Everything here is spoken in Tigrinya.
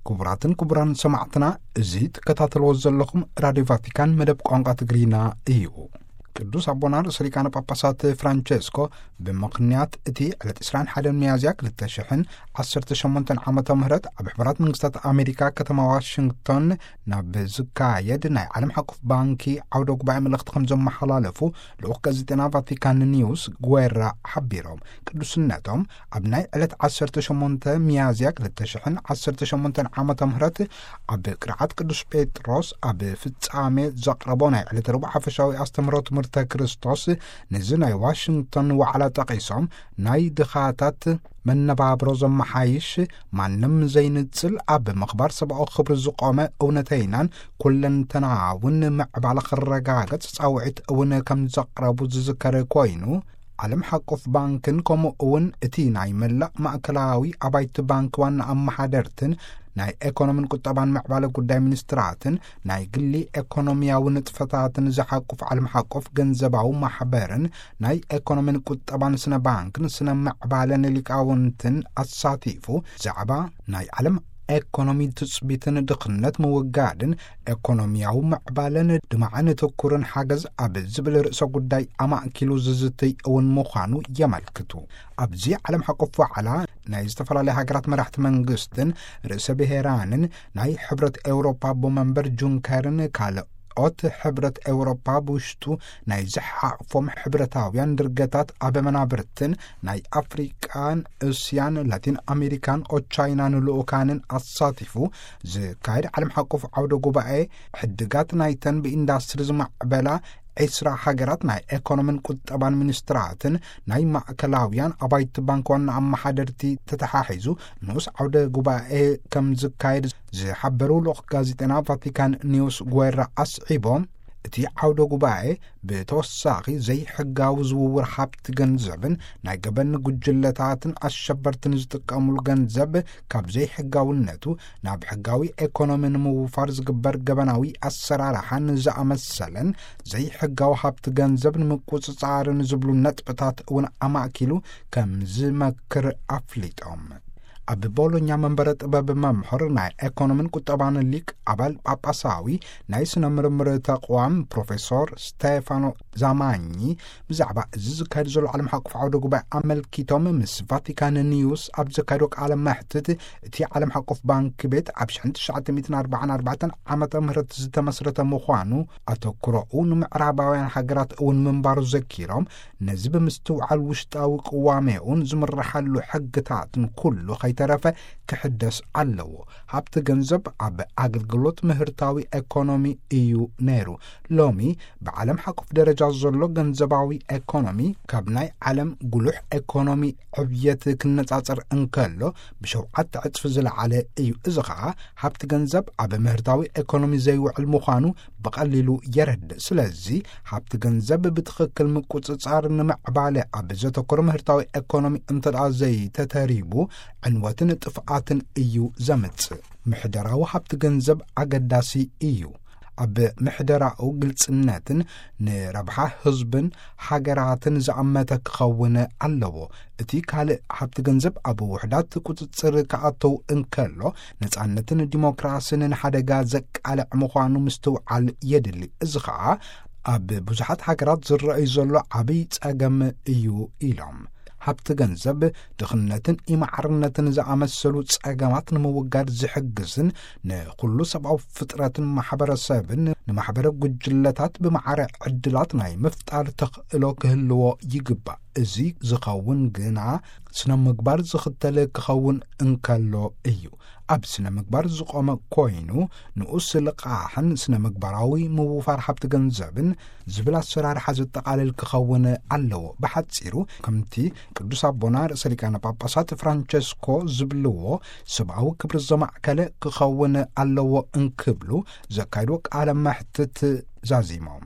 ክቡራትን ክቡራን ሰማዕትና፣ እዚ ትከታተልዎ ዘለኹም ራድዮ ቫቲካን መደብ ቋንቋ ትግርኛ እዩ። ቅዱስ ኣቦና ርእሰ ሊቃነ ጳጳሳት ፍራንቸስኮ ብምኽንያት እቲ ዕለት ዕስራን ሓደን ሚያዝያ ክልተ ሽሕን ዓሰርተ ሸሞንተን ዓመተ ምህረት ኣብ ሕቡራት መንግስታት ኣሜሪካ ከተማ ዋሽንግቶን ናብ ዝካየድ ናይ ዓለም ሓቆፍ ባንኪ ዓውደ ጉባኤ መልእኽቲ ከም ዘመሓላለፉ ልኡኽ ጋዜጠና ቫቲካን ኒውስ ጉዌራ ሓቢሮም። ቅዱስነቶም ኣብ ናይ ዕለት ዓሰርተ ሸሞንተ ሚያዝያ ክልተ ሽሕን ዓሰርተ ሸሞንተን ዓመተ ምህረት ኣብ ቅርዓት ቅዱስ ጴጥሮስ ኣብ ፍጻሜ ዘቕረቦ ናይ ዕለት ረቡዕ ሓፈሻዊ ኣስተምህሮ ትምህርተ ክርስቶስ፣ ነዚ ናይ ዋሽንግቶን ዋዕላ ጠቒሶም፣ ናይ ድኻታት መነባብሮ ዘመሓይሽ፣ ማንም ዘይንጽል፣ ኣብ ምኽባር ሰብኣዊ ክብሪ ዝቖመ እውነተይናን ኩለንተናውን ምዕባለ ክረጋገጽ ጻውዒት እውን ከም ዘቕረቡ ዝዝከር ኮይኑ፣ ዓለም ሓቆፍ ባንክን ከምኡ እውን እቲ ናይ መላእ ማእከላዊ ኣባይቲ ባንክ ዋና ኣመሓደርትን ናይ ኤኮኖምን ቁጠባን ምዕባለ ጉዳይ ሚኒስትራትን ናይ ግሊ ኤኮኖሚያዊ ንጥፈታትን ዝሓቁፍ ዓለም ሓቆፍ ገንዘባዊ ማሕበርን ናይ ኤኮኖምን ቁጠባን ስነ ባንክን ስነ ምዕባለን ሊቃውንትን ኣሳቲፉ፣ ዛዕባ ናይ ዓለም ኤኮኖሚ ትጽቢትን ድኽነት ምውጋድን ኤኮኖሚያዊ ምዕባለን ድማዕን ትኩርን ሓገዝ ኣብ ዝብል ርእሰ ጉዳይ ኣማእኪሉ ዝዝትይ እውን ምዃኑ የመልክቱ። ኣብዚ ዓለም ሓቆፍ ዋዕላ ናይ ዝተፈላለያ ሃገራት መራሕቲ መንግስትን ርእሰ ብሔራንን ናይ ሕብረት ኤውሮፓ ኣቦ መንበር ጁንከርን ካልኦት ሕብረት ኤውሮፓ ብውሽጡ ናይ ዝሓቕፎም ሕብረታውያን ድርገታት ኣብ መናብርትን ናይ ኣፍሪቃን እስያን ላቲን ኣሜሪካን ኦቻይናን ልኡካንን ኣሳቲፉ ዝካየድ ዓለም ሓቆፍ ዓውደ ጉባኤ ሕድጋት ናይተን ብኢንዳስትሪ ዝማዕበላ ዒስራ ሃገራት ናይ ኤኮኖምን ቁጠባን ሚኒስትራትን ናይ ማእከላውያን ኣባይቲ ባንክ ዋና ኣመሓደርቲ ተተሓሒዙ ንኡስ ዓውደ ጉባኤ ከም ዝካየድ ዝሓበሩ ልኡኽ ጋዜጠና ቫቲካን ኒውስ ጉዌራ ኣስዒቦም፣ እቲ ዓውደ ጉባኤ ብተወሳኺ ዘይሕጋዊ ዝውውር ሃብቲ ገንዘብን ናይ ገበን ጉጅለታትን ኣሸበርትን ዝጥቀሙሉ ገንዘብ ካብ ዘይሕጋውነቱ ናብ ሕጋዊ ኤኮኖሚ ንምውፋር ዝግበር ገበናዊ ኣሰራርሓን ዝኣመሰለን ዘይሕጋዊ ሃብቲ ገንዘብ ንምቁጽጻርን ዝብሉ ነጥብታት እውን ኣማእኪሉ ከም ዝመክር ኣፍሊጦም። ኣብ ቦሎኛ መንበረ ጥበብ መምህር ናይ ኤኮኖምን ቁጠባን ሊቅ ኣባል ጳጳሳዊ ናይ ስነ ምርምር ተቋም ፕሮፌሶር ስቴፋኖ ዛማኚ ብዛዕባ እዚ ዝካየድ ዘሎ ዓለም ሓቆፍ ዓውደ ጉባኤ ኣመልኪቶም ምስ ቫቲካን ኒውስ ኣብ ዘካየዶ ቃለ መሕትት፣ እቲ ዓለም ሓቆፍ ባንክ ቤት ኣብ ሽሕን ትሽዓተ ሚእትን ኣርባዓን ኣርባዕተን ዓመተ ምህረት ዝተመስረተ ምዃኑ፣ ኣተኩሮኡ ንምዕራባውያን ሃገራት እውን ምንባሩ ዘኪሮም፣ ነዚ ብምስትውዓል ውሽጣዊ ቅዋሜኡን ዝምርሓሉ ሕግታትን ኩሉ ከይተረፈ ክሕደስ ኣለዎ። ሃብቲ ገንዘብ ኣብ ኣገልግሎት ምህርታዊ ኤኮኖሚ እዩ ነይሩ። ሎሚ ብዓለም ሓቁፍ ደረጃ ዘሎ ገንዘባዊ ኤኮኖሚ ካብ ናይ ዓለም ጉሉሕ ኤኮኖሚ ዕብየት ክነጻጸር እንከሎ ብሸውዓተ ዕጽፊ ዝለዓለ እዩ። እዚ ኸኣ ሃብቲ ገንዘብ ኣብ ምህርታዊ ኤኮኖሚ ዘይውዕል ምዃኑ ብቐሊሉ የረድእ። ስለዚ ሃብቲ ገንዘብ ብትኽክል ምቁጽጻር ንምዕባለ ኣብ ዘተኮረ ምህርታዊ ኤኮኖሚ እንተ ደኣ ዘይተተሪቡ ዕንወትን ጥፍኣትን እዩ ዘምጽእ። ምሕደራዊ ሃብቲ ገንዘብ ኣገዳሲ እዩ። ኣብ ምሕደራኡ ግልጽነትን ንረብሓ ህዝብን ሃገራትን ዝኣመተ ክኸውን ኣለዎ። እቲ ካልእ ሃብቲ ገንዘብ ኣብ ውሕዳት ቁጽጽር ክኣተው እንከሎ ነጻነትን ዲሞክራስን ንሓደጋ ዘቃልዕ ምዃኑ ምስትውዓል የድሊ። እዚ ኸኣ ኣብ ብዙሓት ሃገራት ዝረኣዩ ዘሎ ዓብይ ጸገም እዩ ኢሎም። ሃብቲ ገንዘብ ድኽነትን ኢማዕርነትን ዝኣመሰሉ ጸገማት ንምውጋድ ዝሕግዝን ንኹሉ ሰብኣዊ ፍጥረትን ማሕበረሰብን ንማሕበረ ጉጅለታት ብማዕረ ዕድላት ናይ ምፍጣር ተኽእሎ ክህልዎ ይግባእ። እዚ ዝኸውን ግና ስነ ምግባር ዝኽተል ክኸውን እንከሎ እዩ። ኣብ ስነ ምግባር ዝቖመ ኮይኑ ንኡስ ልቓሕን ስነ ምግባራዊ ምውፋር ሃብቲ ገንዘብን ዝብል ኣሰራርሓ ዘጠቓልል ክኸውን ኣለዎ። ብሓጺሩ ከምቲ ቅዱስ ኣቦና ርእሰ ሊቃነ ጳጳሳት ፍራንቸስኮ ዝብልዎ ሰብኣዊ ክብሪ ዘማእከለ ክኸውን ኣለዎ እንክብሉ ዘካይድዎ ቃለ መሕትት ዛዚሞም።